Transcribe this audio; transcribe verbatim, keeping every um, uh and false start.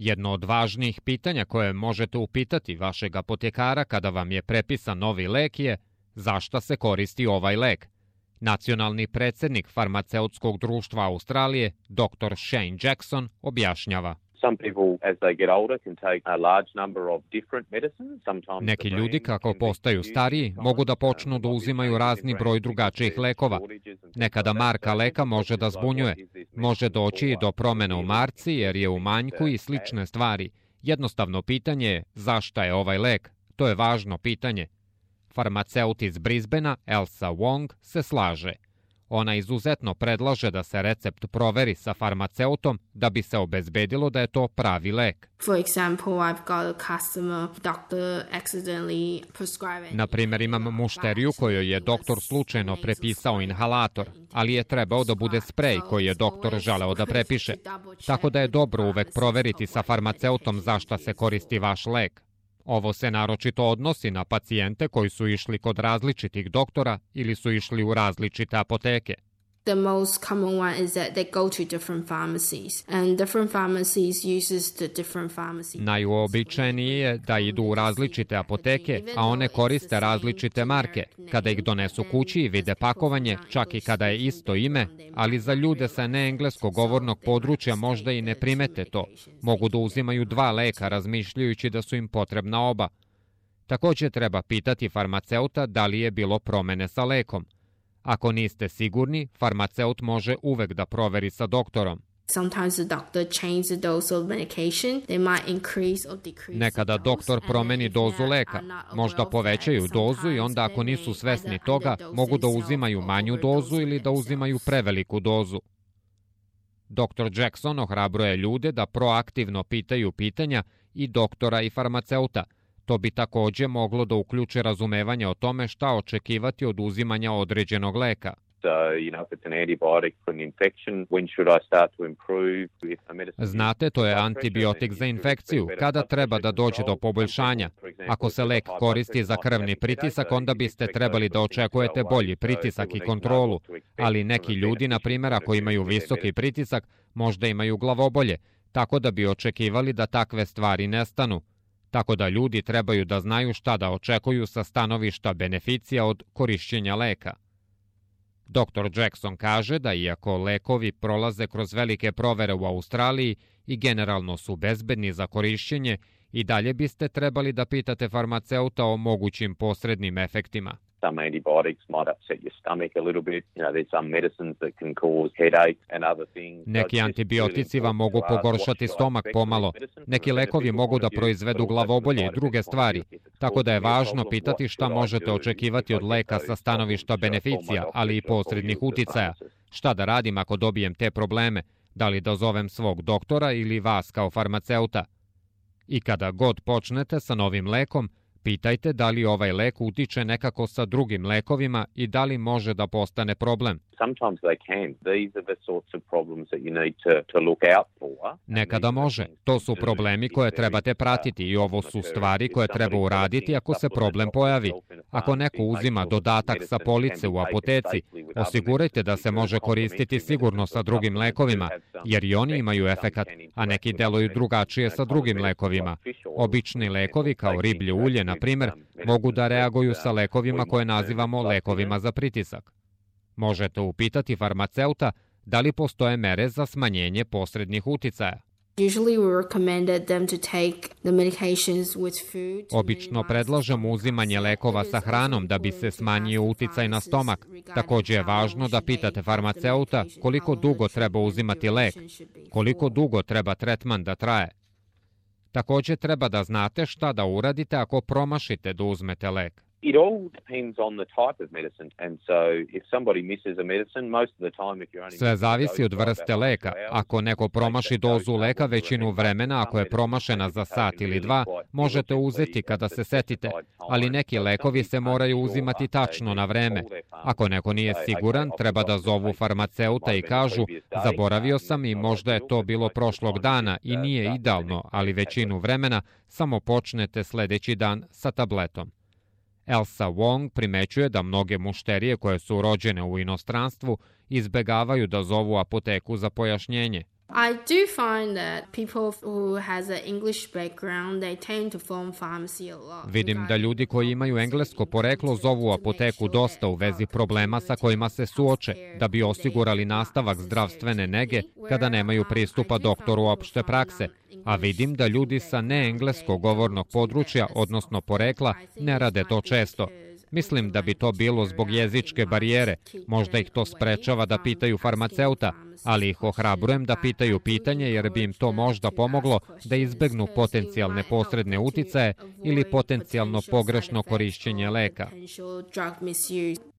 Jedno od važnijih pitanja koje možete upitati vašeg apotekara kada vam je prepisan novi lek je za šta se koristi ovaj lek. Nacionalni predsjednik farmaceutskog društva Australije, doktor Shane Jackson, objašnjava. Neki ljudi kako postaju stariji mogu da počnu da uzimaju razni broj drugačijih lekova. Nekada marka leka može da zbunjuje. Može doći i do promene u marci jer je u manjku i slične stvari. Jednostavno pitanje je zašta je ovaj lek. To je važno pitanje. Farmaceut iz Brisbanea, Elsa Wong, se slaže. Ona izuzetno predlaže da se recept proveri sa farmaceutom da bi se obezbedilo da je to pravi lek. Na primjer, imam mušteriju kojoj je doktor slučajno prepisao inhalator, ali je trebao da bude sprej koji je doktor želeo da prepiše. Tako da je dobro uvek proveriti sa farmaceutom za šta se koristi vaš lek. Ovo se naročito odnosi na pacijente koji su išli kod različitih doktora ili su išli u različite apoteke. The most common one is that they go to different pharmacies and different pharmacies uses the different pharmacies. Najuobičajenije je da idu u različite apoteke, a one koriste različite marke. Kada ih donesu kući i vide pakovanje, čak i kada je isto ime, ali za ljude sa neengleskog govornog područja možda i ne primete to. Mogu da uzimaju dva leka razmišljajući da su im potrebna oba. Također treba pitati farmaceuta da li je bilo promene sa lekom. Ako niste sigurni, farmaceut može uvek da proveri sa doktorom. Nekada doktor promeni dozu leka, možda povećaju dozu i onda ako nisu svesni toga, mogu da uzimaju manju dozu ili da uzimaju preveliku dozu. doktor Jackson ohrabruje ljude da proaktivno pitaju pitanja i doktora i farmaceuta. To bi također moglo da uključe razumevanje o tome šta očekivati od uzimanja određenog leka. Znate, to je antibiotik za infekciju. Kada treba da dođe do poboljšanja? Ako se lek koristi za krvni pritisak, onda biste trebali da očekujete bolji pritisak i kontrolu. Ali neki ljudi, na primjer, ako imaju visoki pritisak, možda imaju glavobolje, tako da bi očekivali da takve stvari nestanu. Tako da ljudi trebaju da znaju šta da očekuju sa stanovišta beneficija od korišćenja leka. doktor Jackson kaže da iako lekovi prolaze kroz velike provere u Australiji i generalno su bezbedni za korišćenje, i dalje biste trebali da pitate farmaceuta o mogućim posrednim efektima. Some antibiotics might upset your stomach a little bit. You know, there's some medicines that can cause headache and other things. Neki antibiotici vam mogu pogoršati stomak pomalo. Neki lekovi mogu da proizvedu glavobolje i druge stvari. Tako da je važno pitati šta možete očekivati od leka sa stanovišta beneficija, ali i posrednih uticaja. Šta da radim ako dobijem te probleme? Da li da zovem svog doktora ili vas kao farmaceuta? I kada god počnete sa novim lekom, pitajte da li ovaj lek utiče nekako sa drugim lekovima i da li može da postane problem. Nekada može. To su problemi koje trebate pratiti i ovo su stvari koje treba uraditi ako se problem pojavi. Ako neko uzima dodatak sa police u apoteci, osigurajte da se može koristiti sigurno sa drugim lekovima, jer i oni imaju efekat, a neki deluju drugačije sa drugim lekovima. Obični lekovi kao riblje ulje, na primjer, mogu da reaguju sa lekovima koje nazivamo lekovima za pritisak. Možete upitati farmaceuta da li postoje mere za smanjenje posrednih uticaja. Obično predlažemo uzimanje lekova sa hranom da bi se smanjio uticaj na stomak. Također je važno da pitate farmaceuta koliko dugo treba uzimati lek, koliko dugo treba tretman da traje. Također treba da znate šta da uradite ako promašite da uzmete lek. It all depends on the type of medicine, and so if somebody misses a medicine, most of the time if you're only... Sve zavisi od vrste leka. Ako neko promaši dozu leka većinu vremena, ako je promašena za sat ili dva, možete uzeti kada se setite, ali neki lekovi se moraju uzimati tačno na vreme. Ako neko nije siguran, treba da zovu farmaceuta i kažu, zaboravio sam i možda je to bilo prošlog dana i nije idealno, ali većinu vremena samo počnete sljedeći dan sa tabletom. Elsa Wong primećuje da mnoge mušterije koje su rođene u inostranstvu izbegavaju da zovu apoteku za pojašnjenje. I do find that people who has an English background, they tend to form pharmacy a lot. Vidim da ljudi koji imaju englesko poreklo zovu apoteku dosta u vezi problema sa kojima se suoče, da bi osigurali nastavak zdravstvene nege kada nemaju pristupa doktoru opšte prakse. A vidim da ljudi sa neenglesko govornog područja, odnosno porekla, ne rade to često. Mislim da bi to bilo zbog jezičke barijere, možda ih to sprečava da pitaju farmaceuta, ali ih ohrabrujem da pitaju pitanje jer bi im to možda pomoglo da izbegnu potencijalne posredne uticaje ili potencijalno pogrešno korišćenje leka.